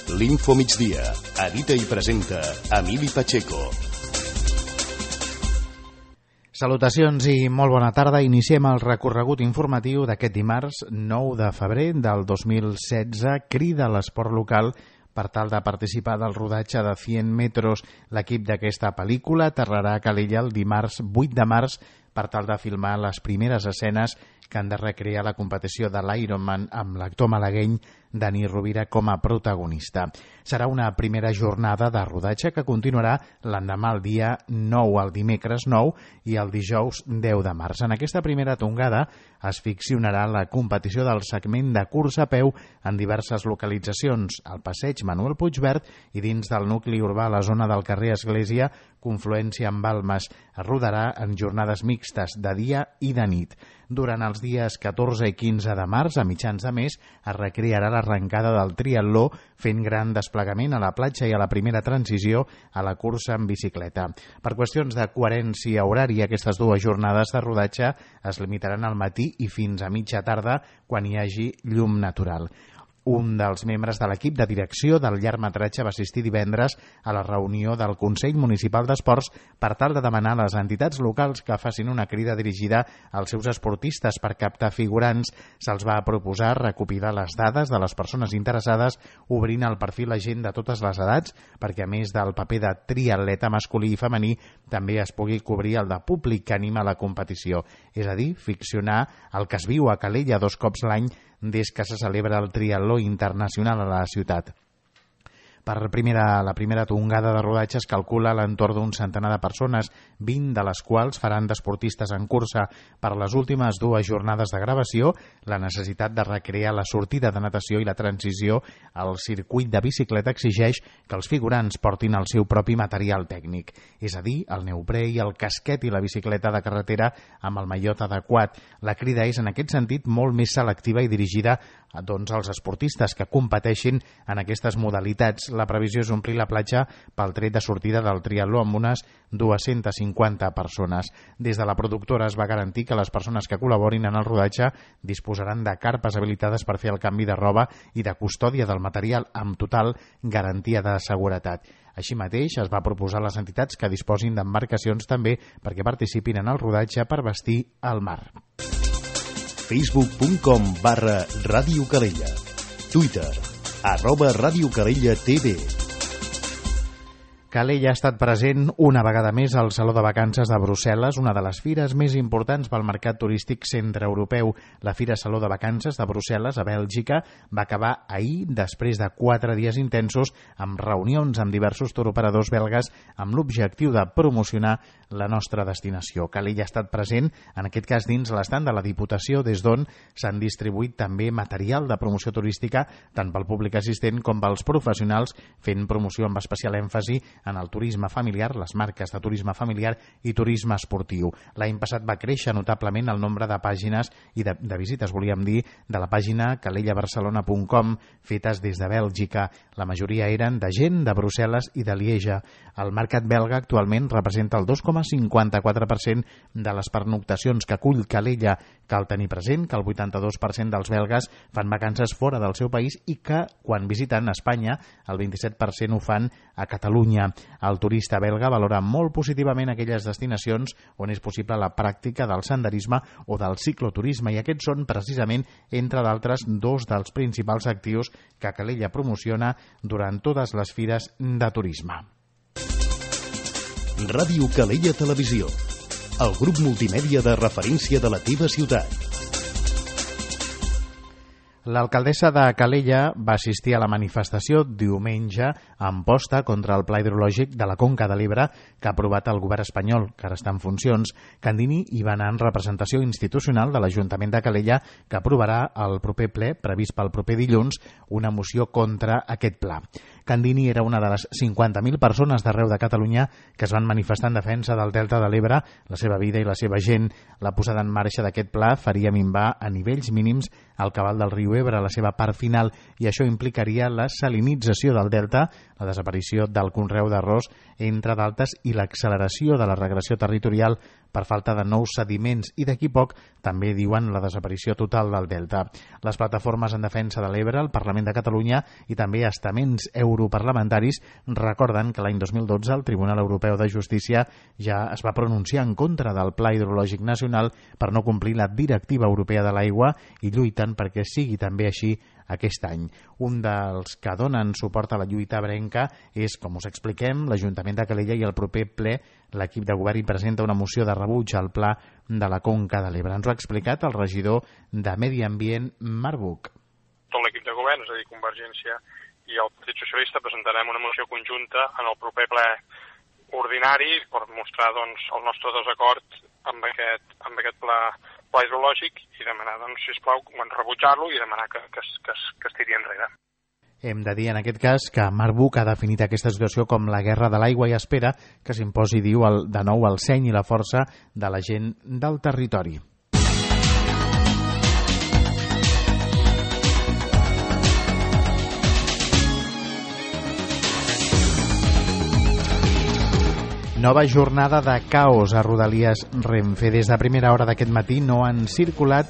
L'Info Migdia. Edita i presenta Emili Pacheco. Salutacions i molt bona tarda. Iniciem el recorregut informatiu d'aquest dimarts 9 de febrer del 2016. Crida l'esport local per tal de participar del rodatge de 100 metros. L'equip d'aquesta pel·lícula aterrarà a Calella el dimarts 8 de març per tal de filmar les primeres escenes que han de recrear la competició de l'Ironman amb l'actor malagueny Dani Rovira com a protagonista. Serà una primera jornada de rodatge que continuarà l'endemà el dia 9, el dimecres 9 i el dijous 10 de març. En aquesta primera tongada es ficcionarà la competició del segment de cursa a peu en diverses localitzacions, al passeig Manuel Puigverd i dins del nucli urbà a la zona del carrer Església, confluència amb Balmes. Es rodarà en jornades mixtes de dia i de nit. Durant els dies 14 i 15 de març, a mitjans de mes, es recrearà l'arrencada del triatló fent gran desplegament a la platja i a la primera transició a la cursa en bicicleta. Per qüestions de coherència horària, aquestes dues jornades de rodatge es limitaran al matí i fins a mitja tarda quan hi hagi llum natural. Un dels membres de l'equip de direcció del llargmetratge va assistir divendres a la reunió del Consell Municipal d'Esports per tal de demanar a les entitats locals que facin una crida dirigida als seus esportistes per captar figurants. Se'ls va proposar recopilar les dades de les persones interessades obrint el perfil a gent de totes les edats perquè a més del paper de triatleta masculí i femení també es pugui cobrir el de públic que anima la competició. És a dir, ficcionar el que es viu a Calella 2 cops l'any des que se celebra el triatló internacional a la ciutat. Per la primera tongada de rodatge es calcula a l'entorn d'un centenar de persones, 20 de les quals faran d'esportistes en cursa. Per les últimes dues jornades de gravació, la necessitat de recrear la sortida de natació i la transició al circuit de bicicleta exigeix que els figurants portin el seu propi material tècnic, és a dir, el neoprè i el casquet i la bicicleta de carretera amb el mallot adequat. La crida és en aquest sentit molt més selectiva i dirigida als esportistes que competeixin en aquestes modalitats. La previsió és omplir la platja pel tret de sortida del triatló amb unes 250 persones. Des de la productora es va garantir que les persones que col·laborin en el rodatge disposaran de carpes habilitades per fer el canvi de roba i de custòdia del material amb total garantia de seguretat. Així mateix, es va proposar a les entitats que disposin d'embarcacions també perquè participin en el rodatge per vestir el mar. Facebook.com/Ràdio Calella. Twitter @Ràdio Calella TV. Calella ha estat present una vegada més al Saló de Vacances de Brussel·les, una de les fires més importants pel mercat turístic centreeuropeu. La Fira Saló de Vacances de Brussel·les, a Bèlgica, va acabar ahir després de 4 dies intensos amb reunions amb diversos touroperadors belgues amb l'objectiu de promocionar la nostra destinació. Calella ha estat present, en aquest cas dins l'estand de la Diputació, des d'on s'han distribuït també material de promoció turística tant pel públic assistent com pels professionals, fent promoció amb especial èmfasi en el turisme familiar, les marques de turisme familiar i turisme esportiu. L'any passat va créixer notablement el nombre de pàgines i de visites, volíem dir, de la pàgina calellabarcelona.com fetes des de Bèlgica. La majoria eren de gent de Brussel·les i de Lieja. El mercat belga actualment representa el 2,54% de les pernoctacions que acull Calella. Cal tenir present que el 82% dels belgues fan vacances fora del seu país i que, quan visiten Espanya, el 27% ho fan a Catalunya. El turista belga valora molt positivament aquelles destinacions on és possible la pràctica del senderisme o del cicloturisme i aquests són precisament, entre d'altres, dos dels principals actius que Calella promociona durant totes les fires de turisme. Ràdio Calella Televisió, el grup multimèdia de referència de la teva ciutat. L'alcaldessa de Calella va assistir a la manifestació diumenge a Amposta contra el Pla Hidrològic de la Conca de l'Ebre que ha aprovat el govern espanyol, que ara està en funcions. Candini hi va anar en representació institucional de l'Ajuntament de Calella que aprovarà el proper ple, previst pel proper dilluns, una moció contra aquest pla. Candini era una de les 50.000 persones d'arreu de Catalunya que es van manifestar en defensa del Delta de l'Ebre, la seva vida i la seva gent. La posada en marxa d'aquest pla faria minvar a nivells mínims el cabal del riu Ebre a la seva part final i això implicaria la salinització del delta, la desaparició del conreu d'arròs, entre d'altres, i l'acceleració de la regressió territorial per falta de nous sediments i d'aquí poc també diuen la desaparició total del delta. Les plataformes en defensa de l'Ebre, el Parlament de Catalunya i també estaments europarlamentaris recorden que l'any 2012 el Tribunal Europeu de Justícia ja es va pronunciar en contra del Pla Hidrològic Nacional per no complir la Directiva Europea de l'Aigua i lluiten perquè sigui també així aquest any. Un dels que donen suport a la lluita ebrenca és, com us expliquem, l'Ajuntament de Calella i el proper ple l'equip de govern hi presenta una moció de rebuig al pla de la Conca de l'Ebre. Ens ho ha explicat el regidor de Medi Ambient, Marc Buch. Tot l'equip de govern, és a dir, Convergència i el Partit Socialista, presentarem una moció conjunta en el proper ple ordinari per mostrar el nostre desacord amb aquest pla hidrològic i demanar, sisplau, rebutjar-lo i demanar que es tiri enrere. Hem de dir en aquest cas que Marc Buch ha definit aquesta situació com la guerra de l'aigua i espera que s'imposi, diu, de nou el seny i la força de la gent del territori. Nova jornada de caos a Rodalies Renfe. Des de primera hora d'aquest matí no ha circulat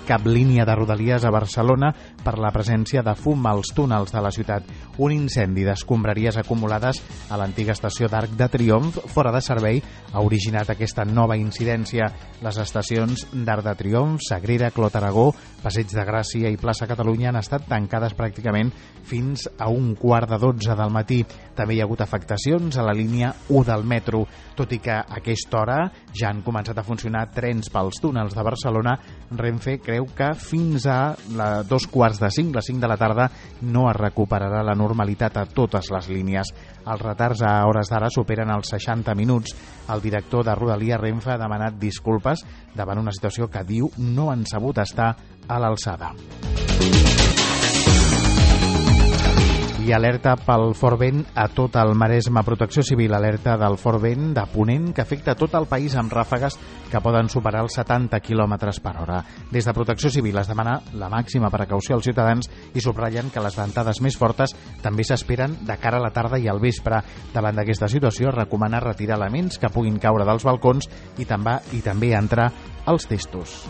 cap línia de Rodalies a Barcelona per la presència de fum als túnels de la ciutat. Un incendi d'escombraries acumulades a l'antiga estació d'Arc de Triomf, fora de servei, ha originat aquesta nova incidència. Les estacions d'Arc de Triomf, Sagrera, Clot Aragó, Passeig de Gràcia i Plaça Catalunya han estat tancades pràcticament fins a 11:45 del matí. També hi ha hagut afectacions a la línia 1 del metro, tot i que a aquesta hora ja han començat a funcionar trens pels túnels de Barcelona. Renfe creu que fins a 4:45, les 5 de la tarda, no es recuperarà la normalitat a totes les línies. Els retards a hores d'ara superen els 60 minuts. El director de Rodalies Renfe ha demanat disculpes davant una situació que diu no han sabut estar a l'alçada. I alerta pel fort vent a tot el Maresme. Protecció Civil alerta del fort vent de ponent que afecta tot el país amb ràfegues que poden superar els 70 km per hora. Des de Protecció Civil es demana la màxima precaució als ciutadans i subratllen que les ventades més fortes també s'esperen de cara a la tarda i al vespre. Davant d'aquesta situació es recomana retirar elements que puguin caure dels balcons i també entrar als testos.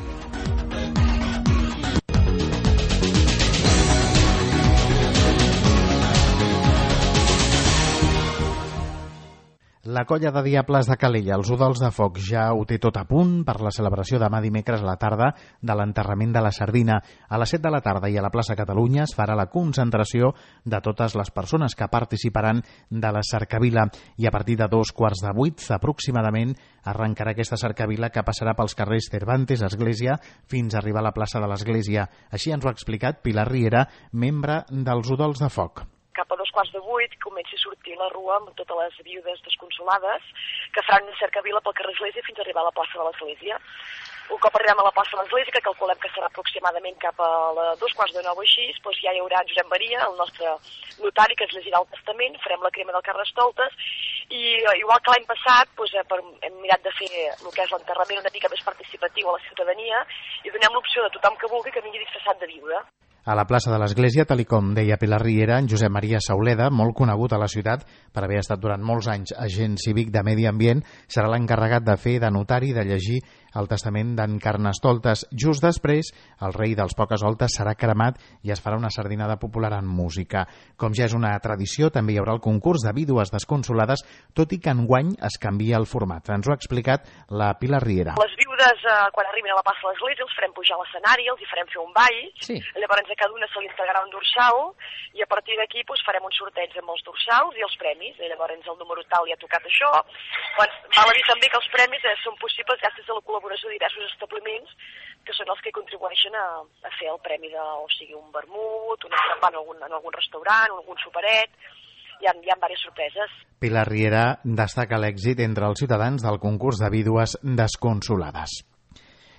La colla de Diables de Calella, els Udols de Foc, ja ho té tot a punt per la celebració demà dimecres a la tarda de l'enterrament de la sardina. A les 7 de la tarda i a la plaça Catalunya es farà la concentració de totes les persones que participaran de la cercavila i a partir de 7:15 aproximadament arrencarà aquesta cercavila que passarà pels carrers Cervantes, Església, fins a arribar a la plaça de l'Església. Així ens ho ha explicat Pilar Riera, membre dels Udols de Foc. Cap a 7:15 comença a sortir la rua amb totes les viudes desconsolades que faran una cercavila pel carrer Església fins a arribar a la plaça de l'Església. Un cop arribem a la plaça de l'Església, que calculem que serà aproximadament cap a 2:15 així, doncs ja hi haurà Josep Maria, el nostre notari, que es llegirà el testament, farem la crema del Carnestoltes i igual que l'any passat hem mirat de fer el que és l'enterrament una mica més participatiu a la ciutadania i donem l'opció de tothom que vulgui que vingui disfressat de viuda. A la plaça de l'Església, tal com deia Pilar Riera, en Josep Maria Sauleda, molt conegut a la ciutat per haver estat durant molts anys agent cívic de Medi Ambient, serà l'encarregat de fer de notari i de llegir el testament d'en Carnestoltes. Just després, el rei dels Pocasoltes serà cremat i es farà una sardinada popular amb música. Com ja és una tradició, també hi haurà el concurs de vídues desconsolades, tot i que enguany es canvia el format. Ens ho ha explicat la Pilar Riera. Les viudes, quan arribin a la plaça de l'Església, els farem pujar a l'escenari, els hi farem fer un ball, sí. Llavors a cada una se li entregarà un dorsal i a partir d'aquí farem un sorteig amb els dorsals i els premis. I llavors el número tal ja ha tocat això. Val a dir també que els premis són possibles gràcies a la col·laboració de diversos establiments que són els que contribueixen a fer el premi un vermut, un escampant en algun restaurant, algun superet. Hi ha diverses sorpreses. Pilar Riera destaca l'èxit entre els ciutadans del concurs de vídues desconsolades.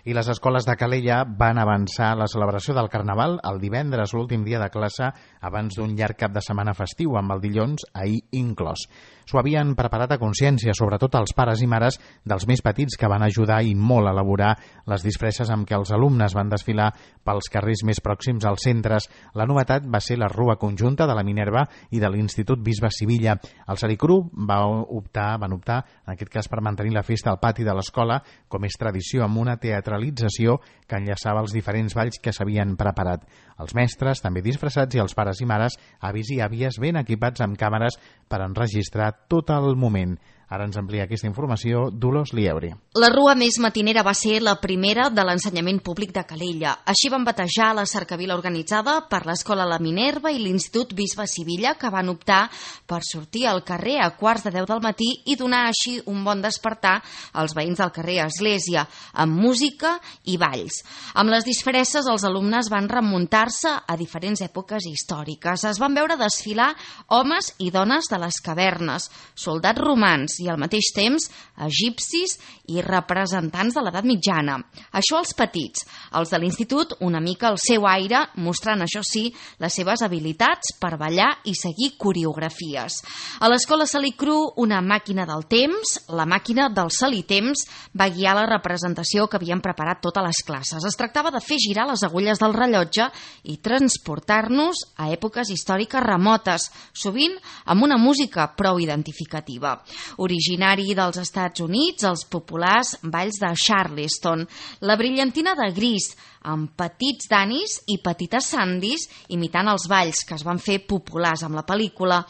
I les escoles de Calella van avançar la celebració del Carnaval el divendres, l'últim dia de classe, abans d'un llarg cap de setmana festiu, amb el dilluns ahir inclòs. S'ho havien preparat a consciència, sobretot els pares i mares dels més petits, que van ajudar i molt a elaborar les disfresses amb què els alumnes van desfilar pels carrers més pròxims als centres. La novetat va ser la rua conjunta de la Minerva i de l'Institut Bisbe Sivilla. El Sericru van optar, en aquest cas, per mantenir la festa al pati de l'escola, com és tradició, amb una teatralització que enllaçava els diferents balls que s'havien preparat. Els mestres, també disfressats, i els pares i mares, avis i àvies, ben equipats amb càmeres per enregistrar tot el moment. Ara ens amplia aquesta informació Dolors Liebre. La rua més matinera va ser la primera de l'ensenyament públic de Calella. Així van batejar la cercavila organitzada per l'Escola La Minerva i l'Institut Bisbe Sivilla, que van optar per sortir al carrer a 9:45 del matí i donar així un bon despertar als veïns del carrer Església, amb música i balls. Amb les disfresses, els alumnes van remuntar-se a diferents èpoques històriques. Es van veure desfilar homes i dones de les cavernes, soldats romans i al mateix temps egipcis i representants de l'edat mitjana. Això els petits. Els de l'institut, una mica el seu aire, mostrant, això sí, les seves habilitats per ballar i seguir coreografies. A l'escola Salicru, una màquina del temps, la màquina del Salitemps, va guiar la representació que havien preparat totes les classes. Es tractava de fer girar les agulles del rellotge i transportar-nos a èpoques històriques remotes, sovint amb una música prou identificativa. Originari dels Estats Units, els populars balls de Charleston, la brillantina de gris, amb petits danis i petites sandis imitant els balls que es van fer populars amb la pel·lícula,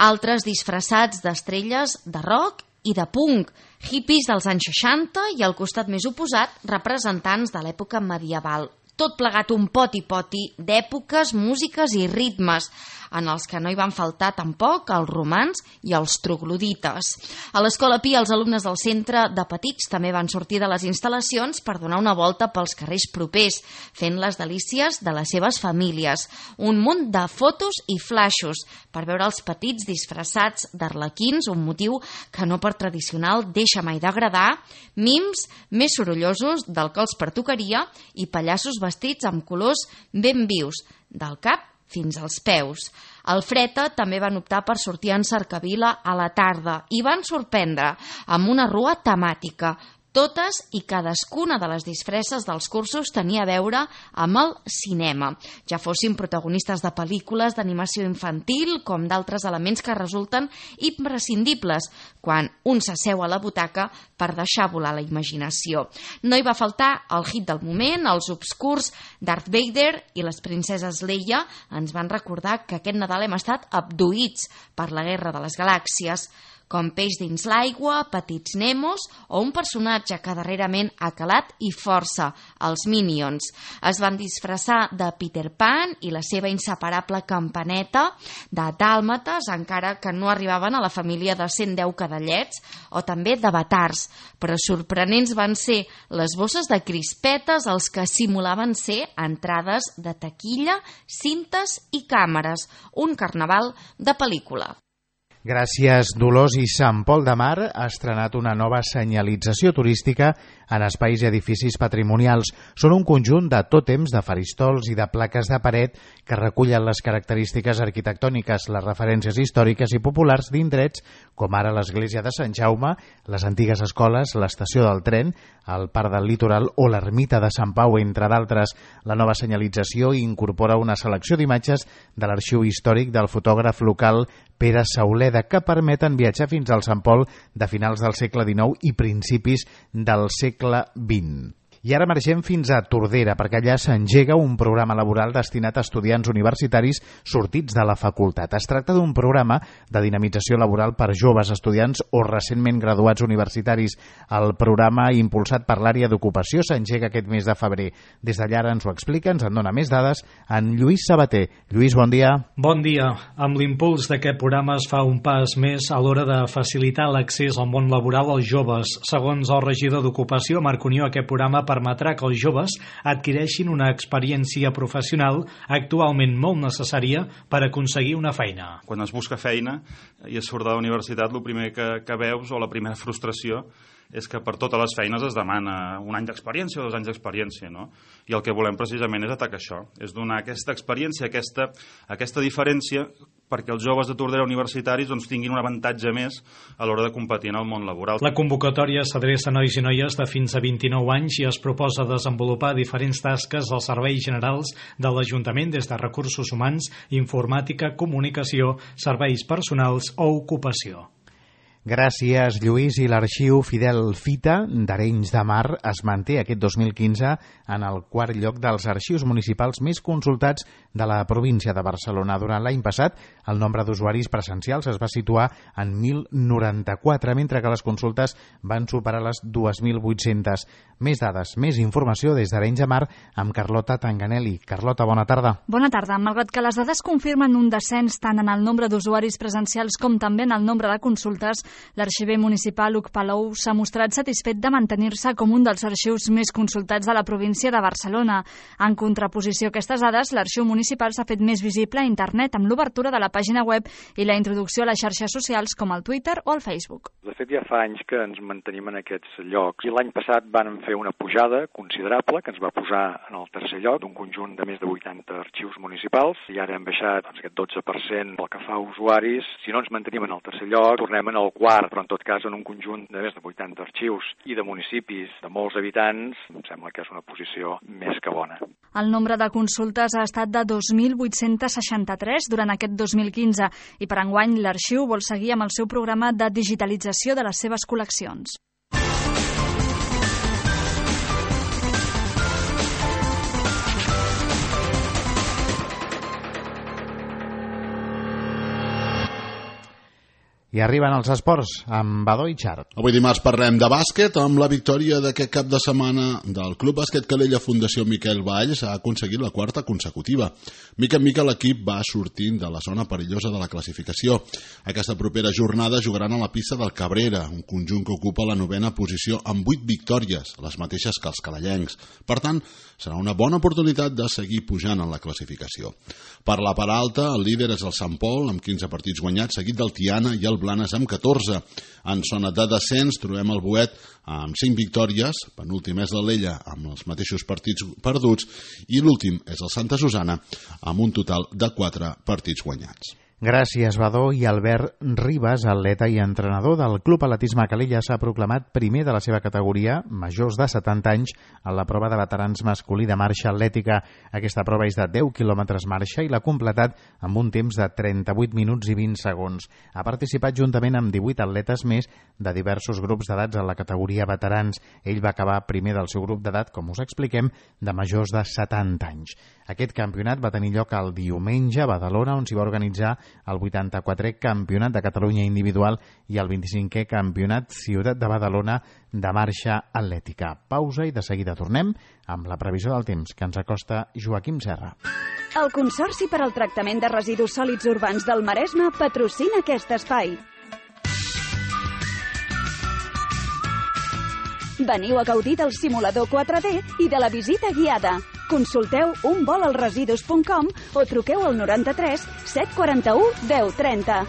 altres disfressats d'estrelles de rock i de punk, hippies dels anys 60 i al costat més oposat representants de l'època medieval. Tot plegat un poti-poti d'èpoques, músiques i ritmes, en els que no hi van faltar tampoc els romans i els troglodites. A l'Escola Pi, els alumnes del centre de petits també van sortir de les instal·lacions per donar una volta pels carrers propers, fent les delícies de les seves famílies. Un munt de fotos i flaixos per veure els petits disfressats d'arlequins, un motiu que no per tradicional deixa mai d'agradar, mims més sorollosos del que els pertocaria i pallassos vestits amb colors ben vius, del cap fins als peus. Al Freta també van optar per sortir en cercavila a la tarda i van sorprendre amb una rua temàtica. Totes i cadascuna de les disfresses dels cursos tenia a veure amb el cinema, ja fossin protagonistes de pel·lícules d'animació infantil com d'altres elements que resulten imprescindibles quan un s'asseu a la butaca per deixar volar la imaginació. No hi va faltar el hit del moment, els obscurs Darth Vader i les princeses Leia ens van recordar que aquest Nadal hem estat abduïts per la Guerra de les Galàxies, com peix dins l'aigua, petits Nemos o un personatge que darrerament ha calat i força, els Minions. Es van disfressar de Peter Pan i la seva inseparable campaneta, de dàlmates, encara que no arribaven a la família de 110 cadallets, o també d'avatars, però sorprenents van ser les bosses de crispetes, els que simulaven ser entrades de taquilla, cintes i càmeres, un carnaval de pel·lícula. Gràcies, Dolors. I Sant Pol de Mar ha estrenat una nova senyalització turística en espais i edificis patrimonials. Són un conjunt de tòtems, de faristols i de plaques de paret que recullen les característiques arquitectòniques, les referències històriques i populars d'indrets com ara l'església de Sant Jaume, les antigues escoles, l'estació del tren, el Parc del Litoral o l'ermita de Sant Pau, entre d'altres. La nova senyalització incorpora una selecció d'imatges de l'arxiu històric del fotògraf local Pere Sauleda, que permeten viatjar fins al Sant Pol de finals del segle XIX i principis del segle XX. I ara marxem fins a Tordera, perquè allà s'engega un programa laboral destinat a estudiants universitaris sortits de la facultat. Es tracta d'un programa de dinamització laboral per joves estudiants o recentment graduats universitaris. El programa, impulsat per l'àrea d'ocupació, s'engega aquest mes de febrer. Des d'allà ara ens ho explica, ens en dona més dades, en Lluís Sabater. Lluís, bon dia. Bon dia. Amb l'impuls d'aquest programa es fa un pas més a l'hora de facilitar l'accés al món laboral als joves. Segons el regidor d'Ocupació, Marc Unió, aquest programa permetrà que els joves adquireixin una experiència professional actualment molt necessària per aconseguir una feina. Quan es busca feina i es surt de la universitat, el primer que veus o la primera frustració és que per totes les feines es demana 1 any d'experiència o 2 anys d'experiència, no? I el que volem precisament és atacar això, és donar aquesta experiència, aquesta diferència perquè els joves de Tordera universitaris tinguin un avantatge més a l'hora de competir en el món laboral. La convocatòria s'adreça a nois i noies de fins a 29 anys i es proposa desenvolupar diferents tasques als serveis generals de l'Ajuntament des de recursos humans, informàtica, comunicació, serveis personals o ocupació. Gràcies, Lluís. I l'arxiu Fidel Fita d'Arenys de Mar es manté aquest 2015 en el 4è lloc dels arxius municipals més consultats de la província de Barcelona. Durant l'any passat, el nombre d'usuaris presencials es va situar en 1.094, mentre que les consultes van superar les 2.800. Més dades, més informació des d'Arenys de Mar amb Carlota Tanganelli. Carlota, bona tarda. Bona tarda. Malgrat que les dades confirmen un descens tant en el nombre d'usuaris presencials com també en el nombre de consultes, l'arxiver municipal Huc Palou s'ha mostrat satisfet de mantenir-se com un dels arxius més consultats de la província de Barcelona. En contraposició a aquestes dades, l'arxiu municipal s'ha fet més visible a internet amb l'obertura de la pàgina web i la introducció a les xarxes socials com el Twitter o el Facebook. De fet, ja fa anys que ens mantenim en aquests llocs i l'any passat vam fer una pujada considerable que ens va posar en el 3è lloc d'un conjunt de més de 80 arxius municipals i ara hem baixat aquest 12% pel que fa a usuaris. Si no ens mantenim en el 3è lloc, tornem en el 4, però en tot cas en un conjunt de més de 80 arxius i de municipis de molts habitants, em sembla que és una posició més que bona. El nombre de consultes ha estat de 2.863 durant aquest 2015 i per enguany l'arxiu vol seguir amb el seu programa de digitalització de les seves col·leccions. I arriben els esports amb Badó i Xart. Avui dimarts parlem de bàsquet amb la victòria d'aquest cap de setmana del Club Bàsquet Calella Fundació Miquel Valls. Ha aconseguit la 4ª consecutiva. Mica en mica l'equip va sortint de la zona perillosa de la classificació. Aquesta propera jornada jugaran a la pista del Cabrera, un conjunt que ocupa la 9ª posició amb 8 victòries, les mateixes que els calellencs. Per tant, serà una bona oportunitat de seguir pujant en la classificació. Per la part alta, el líder és el Sant Pol, amb 15 partits guanyats, seguit del Tiana i el Blanes amb 14. En zona de descens trobem el Boet amb 5 victòries, penúltim és l'Alella amb els mateixos partits perduts i l'últim és el Santa Susana amb un total de 4 partits guanyats. Gràcies, Badó. I Albert Ribas, atleta i entrenador del Club Atletisme Calella, s'ha proclamat primer de la seva categoria, majors de 70 anys, en la prova de veterans masculí de marxa atlètica. Aquesta prova és de 10 quilòmetres marxa i l'ha completat amb un temps de 38 minuts i 20 segons. Ha participat juntament amb 18 atletes més de diversos grups d'edats en la categoria veterans. Ell va acabar primer del seu grup d'edat, com us expliquem, de majors de 70 anys. Aquest campionat va tenir lloc el diumenge a Badalona, on s'hi va organitzar el 84è Campionat de Catalunya individual i el 25è Campionat Ciutat de Badalona de marxa atlètica. Pausa i de seguida tornem amb la previsió del temps que ens acosta Joaquim Serra. El Consorci per al Tractament de Residus Sòlids Urbans del Maresme patrocina aquest espai. Veniu a gaudir del simulador 4D i de la visita guiada. Consulteu unvolalresidus.com o truqueu al 93 741 1030.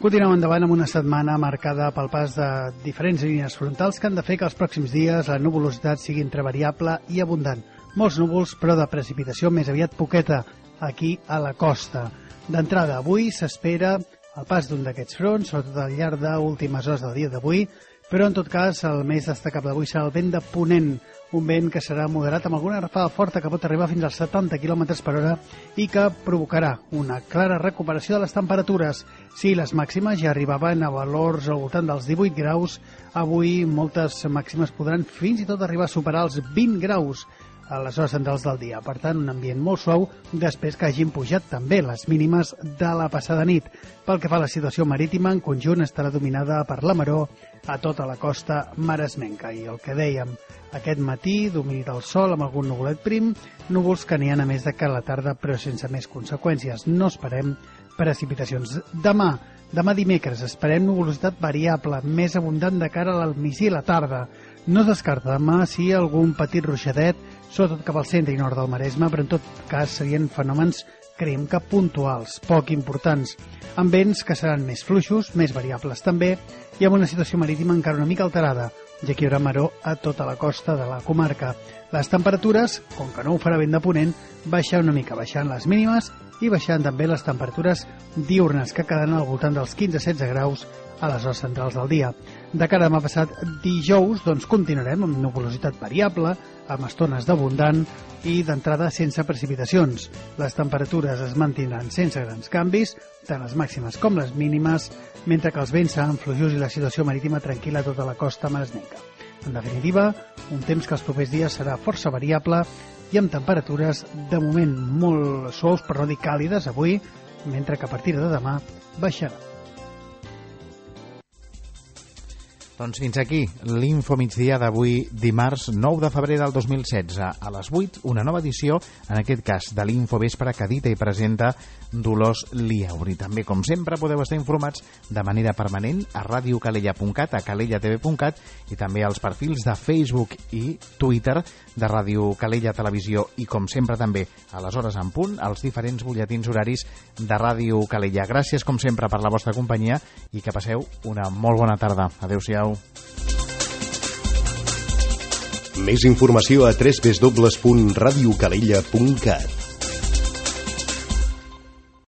Continuem endavant amb una setmana marcada pel pas de diferents línies frontals que han de fer que els pròxims dies la nuvolositat sigui entre variable i abundant. Molts núvols, però de precipitació més aviat poqueta aquí a la costa. D'entrada, avui s'espera el pas d'un d'aquests fronts, sobretot al llarg d'últimes hores del dia d'avui, però en tot cas el més destacable d'avui serà el vent de ponent, un vent que serà moderat amb alguna rafada forta que pot arribar fins als 70 km per hora i que provocarà una clara recuperació de les temperatures. Si les màximes ja arribaven a valors al voltant dels 18 graus, avui moltes màximes podran fins i tot arribar a superar els 20 graus a les hores centrals del dia. Per tant, un ambient molt suau després que hagin pujat també les mínimes de la passada nit. Pel que fa a la situació marítima, en conjunt estarà dominada per la maró a tota la costa maresmenca. I el que dèiem, aquest matí, domini del sol amb algun nuvolet prim, núvols que n'hi ha a més de cara a la tarda, però sense més conseqüències. No esperem precipitacions. Demà dimecres, esperem nuvolositat variable, més abundant de cara al migdia i la tarda. No es descarta demà si algun petit ruixadet, sobretot cap al centre i nord del Maresme, però en tot cas serien fenòmens creiem que puntuals, poc importants, amb vents que seran més fluixos, més variables també, i amb una situació marítima encara una mica alterada, ja que hi haurà maró a tota la costa de la comarca. Les temperatures, com que no ho farà vent de ponent, baixant una mica, baixant les mínimes i baixant també les temperatures diurnes, que quedaran al voltant dels 15-16 graus a les hores centrals del dia. De cara a demà passat dijous, doncs continuarem amb nuvolositat variable, amb estones d'abundant i d'entrada sense precipitacions. Les temperatures es mantindran sense grans canvis, tant les màximes com les mínimes, mentre que els vents seran fluixos i la situació marítima tranquil·la a tota la costa maresmenca. En definitiva, un temps que els propers dies serà força variable i amb temperatures de moment molt suaus, per no dir càlides avui, mentre que a partir de demà baixarà. Doncs fins aquí l'Info Migdia d'avui, dimarts 9 de febrer del 2016. A les 8, una nova edició, en aquest cas de l'Info Vespre, que edita i presenta Dolors Liauri. També, com sempre, podeu estar informats de manera permanent a radiocalella.cat, a calellatv.cat i també als perfils de Facebook i Twitter de Ràdio Calella Televisió i, com sempre, també a les hores en punt, als diferents butlletins horaris de Ràdio Calella. Gràcies, com sempre, per la vostra companyia i que passeu una molt bona tarda. Adéu-siau. Més informació a www.radiocalella.cat.